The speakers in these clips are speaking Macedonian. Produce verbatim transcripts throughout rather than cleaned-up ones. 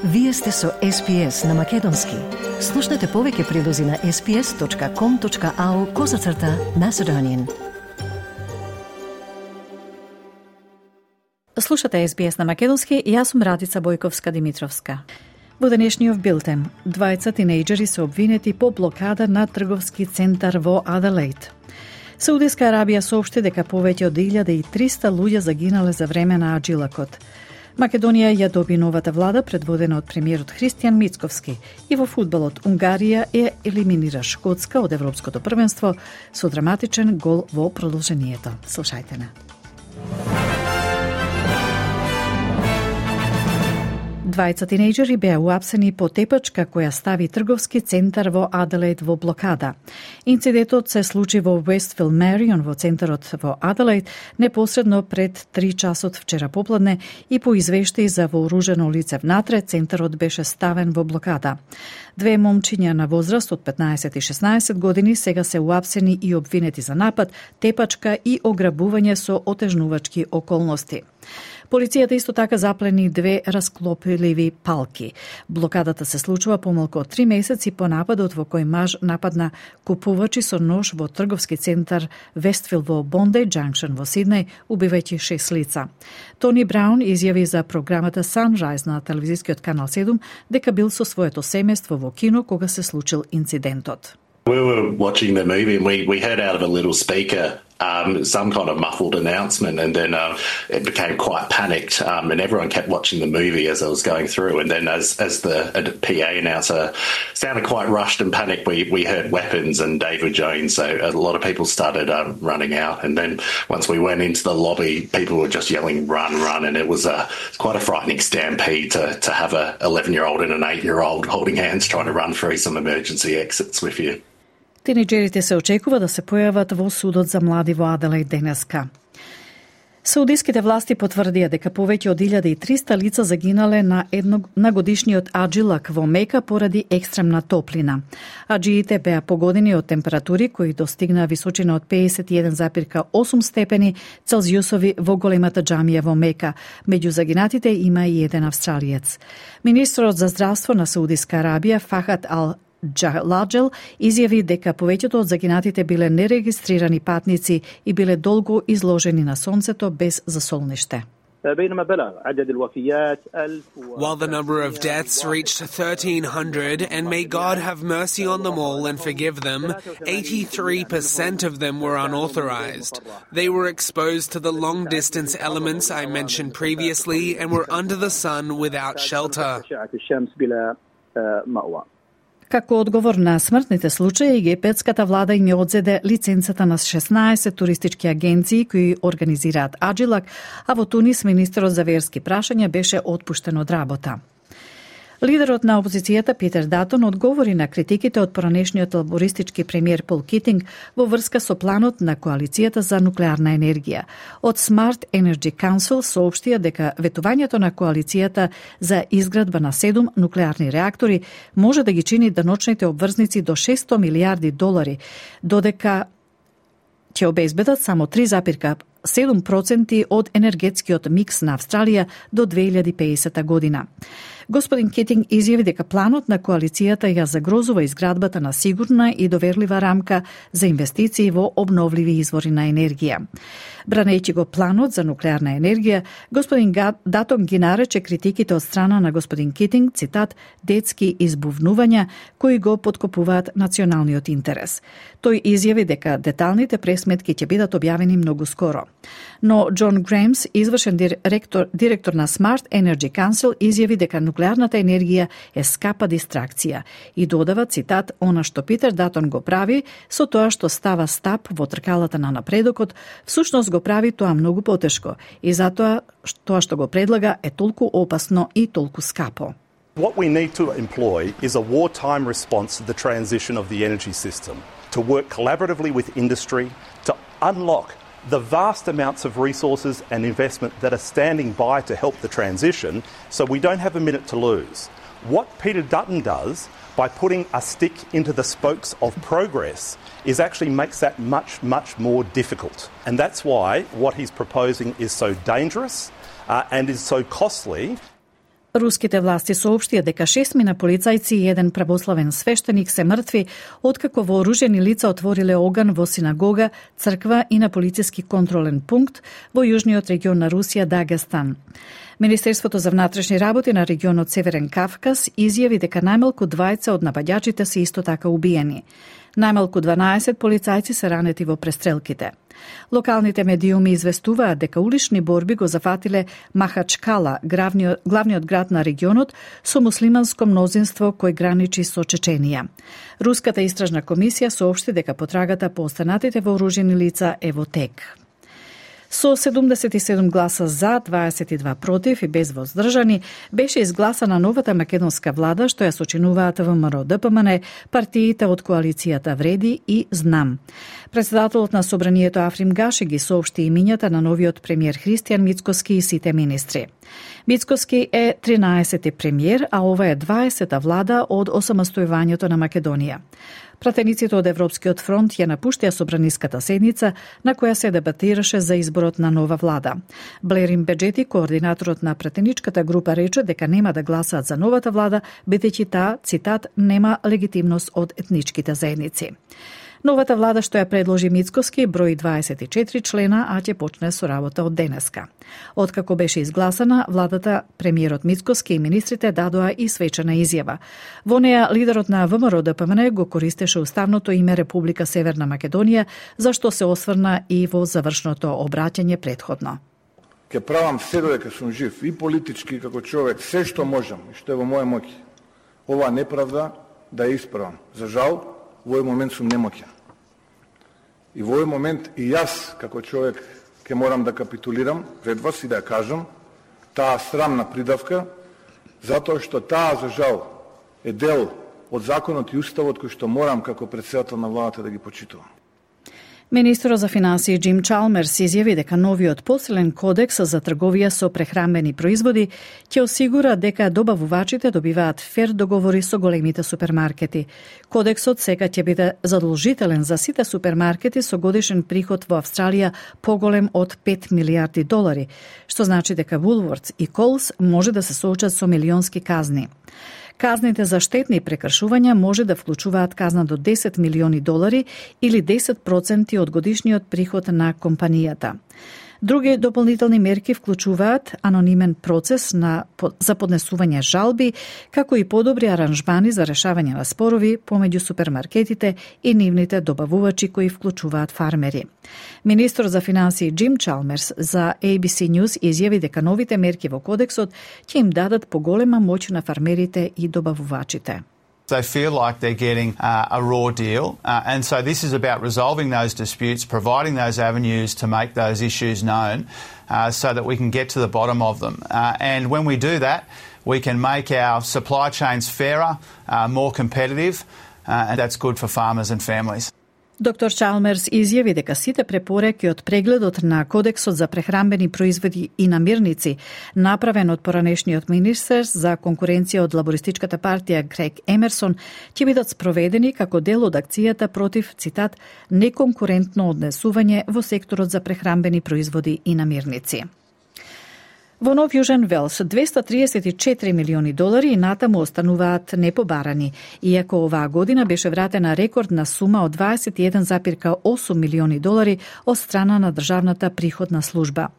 Вие сте со Ес Би Ес на Македонски. Слушнете повеќе прилози на ес би ес точка ком точка ау козацрта Macedonian. Слушате Ес Би Ес на Македонски и јас сум Радица Бојковска-Димитровска. Во денешниот билтен, двајца тинејџери се обвинети по блокада на трговски центар во Аделаид. Саудиска Арабија соопшти дека повеќе од илјада и триста луѓе загинале за време на аджилакот. Македонија ја доби новата влада предводена од премиерот Христијан Мицковски и во фудбалот Унгарија е елиминира Шкотска од Европското првенство со драматичен гол во продолжението. Слушајте на. Двајца тинејџери беа уапсени по тепачка која стави трговски центар во Аделаид во блокада. Инцидентот се случи во Westville Marion во центарот во Аделаид непосредно пред три часот вчера попладне и по извештаи за вооружено лице внатре центарот беше ставен во блокада. Две момчиња на возраст од петнаесет и шеснаесет години сега се уапсени и обвинети за напад, тепачка и ограбување со отежнувачки околности. Полицијата исто така заплени две расклопливи палки. Блокадата се случува помалку од три месеци по нападот во кој маж нападна купувачи со нож во трговски центар Вестфил во Bondi Junction во Сиднеј, убивајќи шест лица. Тони Браун изјави за програмата Sunrise на телевизискиот канал седум дека бил со своето семејство во кино кога се случил инцидентот. We were watching the movie and we, we heard out of a little speaker um, some kind of muffled announcement, and then uh, it became quite panicked, um, and everyone kept watching the movie as it was going through. And then as as the P A announcer sounded quite rushed and panicked, we, we heard weapons and David Jones, so a lot of people started um, running out. And then once we went into the lobby, people were just yelling, run, run, and it was a, quite a frightening stampede to, to have a eleven-year-old and an eight-year-old holding hands trying to run through some emergency exits with you. Тинејџерите се очекува да се појават во судот за млади во Аделаид денеска. Саудиските власти потврдија дека повеќе од илјада и триста лица загинале на едно на годишниот аджилак во Мека поради екстремна топлина. Аджиите беа погодени од температури кои достигнаа височина од пеесет и еден зарез осум степени Целзиусови во големата џамија во Мека. Меѓу загинатите има и еден австралиец. Министерот за здравство на Саудиска Арабија Фахад ал Ладжел изјави дека повеќето од загинатите биле нерегистрирани патници и биле долго изложени на сонцето без засолниште. While the number of deaths reached thirteen hundred, and may God have mercy on them all and forgive them, eighty-three percent of them were unauthorized. They were exposed to the long-distance elements I mentioned previously and were under the sun without shelter. Како одговор на смртните случаи, египетската влада им ја одзеде лиценцата на шеснаесет туристички агенции кои организираат аджилак, а во Тунис министерот за верски прашања беше отпуштен од работа. Лидерот на опозицијата Питер Датон одговори на критиките од поранешниот лабористички премиер Пол Китинг во врска со планот на коалицијата за нуклеарна енергија. Од Smart Energy Council соопштија дека ветувањето на коалицијата за изградба на седум нуклеарни реактори може да ги чини деночните обврзници до шесто милијарди долари, додека ќе обезбедат само три зарез седум проценти од енергетскиот микс на Австралија до две илјади и пеесета година. Господин Китинг изјави дека планот на коалицијата ја загрозува изградбата на сигурна и доверлива рамка за инвестиции во обновливи извори на енергија. Бранејќи го планот за нуклеарна енергија, господин Датон ги нарече критиките од страна на господин Китинг, цитат, детски избувнувања кои го поткопуваат националниот интерес. Тој изјави дека деталните пресметки ќе бидат објавени многу скоро. Но Џон Гремс, извршен директор, директор на Smart Energy Council, изјави дека нуклеарната енергија е скапа дистракција и додава, цитат, она што Питер Датон го прави, со тоа што става стап во тркалата на напредокот, всушност го прави тоа многу потешко и затоа тоа што го предлага е толку опасно и толку скапо. What we need to employ is a wartime response to the transition of the energy system, to work collaboratively with industry, to unlock the vast amounts of resources and investment that are standing by to help the transition, so we don't have a minute to lose. What Peter Dutton does by putting a stick into the spokes of progress is actually makes that much, much more difficult. And that's why what he's proposing is so dangerous uh, and is so costly. Руските власти соопштија дека шестмина полицајци и еден православен свештеник се мртви откако вооружени лица отвориле оган во синагога, црква и на полициски контролен пункт во јужниот регион на Русија Дагестан. Министерството за внатрешни работи на регионот Северен Кавказ изјави дека најмалку двајца од напаѓачите се исто така убиени. Најмалку дванаесет полицајци се ранети во престрелките. Локалните медиуми известуваат дека улични борби го зафатиле Махачкала, главниот, главниот град на регионот, со муслиманско мнозинство кој граничи со Чеченија. Руската истражна комисија соопшти дека потрагата по останатите вооружени лица е во тек. Со седумдесет и седум гласа за, дваесет и два против и без воздржани, беше изгласана новата македонска влада, што ја сочинуваат ВМРО Д П М Н, партиите од коалицијата Вреди и Знам. Председателот на Собранието Африм Гаши ги соопшти имињата на новиот премиер Христијан Мицкоски и сите министри. Мицкоски е тринаесети премиер, а ова е дваесета влада од осамостојувањето на Македонија. Пратениците од Европскиот фронт ја напуштија собраниската седница на која се дебатираше за изборот на нова влада. Блерин Беджети, координаторот на пратеничката група, рече дека нема да гласаат за новата влада, бидејќи таа, цитат, нема легитимност од етничките заедници. Новата влада што ја предложи Мицкоски брои дваесет и четири члена, а ќе почне со работа од денеска. Откако беше изгласана, владата, премиерот Мицкоски и министрите дадоа и свечена изјава. Во неа лидерот на ВМРО Д П М Н го користеше уставното име Република Северна Македонија, за што се осврна и во завршното обраќање претходно. Ке правам се додека сум жив и политички како човек, се што можам и што е во моја моќ. Ова неправда да ја исправам. За жал, во овој момент сум немоќен. И во овој момент и јас, како човек, ќе морам да капитулирам пред вас и да ја кажам таа срамна придавка, затоа што таа, за жал, е дел од законот и уставот кој што морам како председател на владата да ги почитувам. Министерот за финансии Джим Чалмерс изјави дека новиот посилен кодекс за трговија со прехранбени производи ќе осигура дека добавувачите добиваат фер договори со големите супермаркети. Кодексот сега ќе биде задолжителен за сите супермаркети со годишен приход во Австралија поголем од пет милијарди долари, што значи дека Woolworths и Coles може да се соочат со милионски казни. Казните за штетни прекршувања може да вклучуваат казна до десет милиони долари или десет проценти од годишниот приход на компанијата. Други дополнителни мерки вклучуваат анонимен процес на, за поднесување жалби, како и подобри аранжмани за решавање на спорови помеѓу супермаркетите и нивните добавувачи кои вклучуваат фармери. Министер за финансии Джим Чалмерс за A B C News изјави дека новите мерки во кодексот ќе им дадат поголема моќ на фармерите и добавувачите. They feel like they're getting uh, a raw deal. Uh, and so this is about resolving those disputes, providing those avenues to make those issues known uh, so that we can get to the bottom of them. Uh, and when we do that, we can make our supply chains fairer, uh, more competitive, uh, and that's good for farmers and families. Доктор Чалмерс изјави дека сите препораки од прегледот на Кодексот за прехранбени производи и намирници, направен од поранешниот министер за конкуренција од лабористичката партија Грег Емерсон, ќе бидат спроведени како дел од акцијата против, цитат, неконкурентно однесување во секторот за прехранбени производи и намирници. Во Нов Јужен Велс двесте триесет и четири милиони долари и натаму остануваат непобарани, иако оваа година беше вратена рекордна сума од дваесет и еден запирка осум милиони долари од страна на државната приходна служба.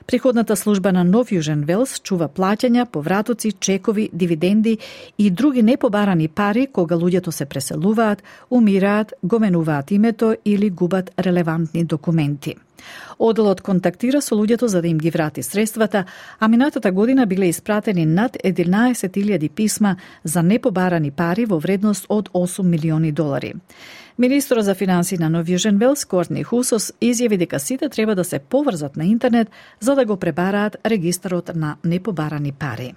Приходната служба на Нов Јужен Велс чува плаќања, повратоци, чекови, дивиденди и други непобарани пари кога луѓето се преселуваат, умираат, го менуваат името или губат релевантни документи. Оделот контактира со луѓето за да им ги врати средствата, а минатата година биле испратени над единаесет илјади писма за непобарани пари во вредност од осум милиони долари. Министерот за финансии на Нов Јужен Велс, Кортни Хусос, изјави дека сите треба да се поврзат на интернет за да го пребараат регистарот на непобарани пари.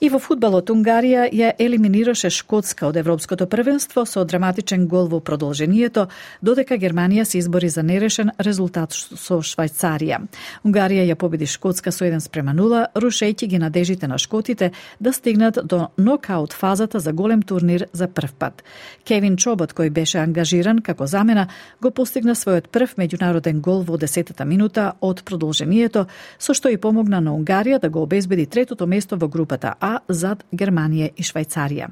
И во фудбалот Унгарија ја елиминираше Шкотска од Европското првенство со драматичен гол во продолжението, додека Германија се избори за нерешен резултат со Швајцарија. Унгарија ја победи Шкотска со еден спрема нула, рушејќи ги надежите на шкотите да стигнат до нокаут фазата за голем турнир за прв пат. Кевин Чобот, кој беше ангажиран како замена, го постигна својот прв меѓународен гол во десетата минута од продолжението, со што и помогна на Унгарија да го обезбеди третото место во групата А зад Германија и Швајцарија.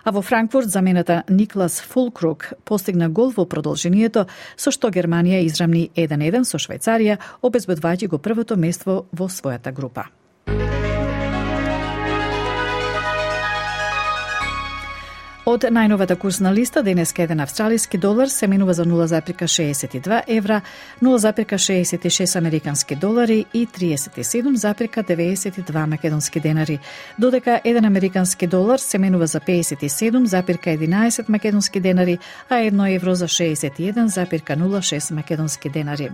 А во Франкфурт замената Никлас Фулкрук постигна гол во продолжението, со што Германија израмни еден еден со Швајцарија, обезбедувајќи го првото место во својата група. Од најновата курсна листа, денеска еден австралиски долар се менува за нула зарез шеесет и два евра, нула зарез шеесет и шест американски долари и триесет и седум зарез деветдесет и два македонски денари, додека еден американски долар се менува за пеесет и седум зарез единаесет македонски денари, а едно евро за шеесет и еден зарез нула шест македонски денари.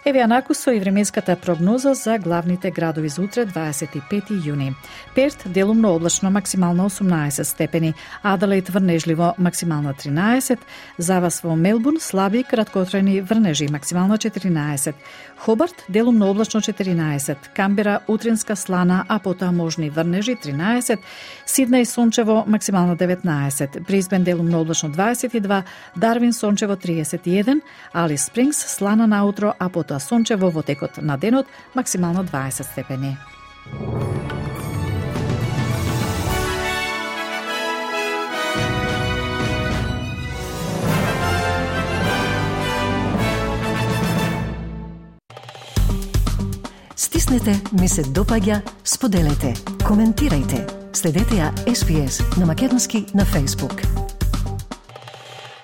Еве анакусо и временската прогноза за главните градови за утре, дваесет и пети јуни. Перт делумно облачно, максимално осумнаесет степени, Аделаид врнежливо, максимално тринаесет, за вас во Мелбурн слаби краткотрајни врнежи, максимално четиринаесет, Хобарт делумно облачно четиринаесет, Камбера утринска слана, а потоа можни врнежи тринаесет, Сиднеј сончево, максимално деветнаесет, Брисбен делумно облачно дваесет и два, Дарвин сончево триесет и еден, Алис Спрингс слана наутро, а потоа сончево во текот на денот, максимално дваесет степени. Стиснете, ми се допаѓа, споделете, коментирајте. Следете ја Ес Би Ес на македонски на Facebook.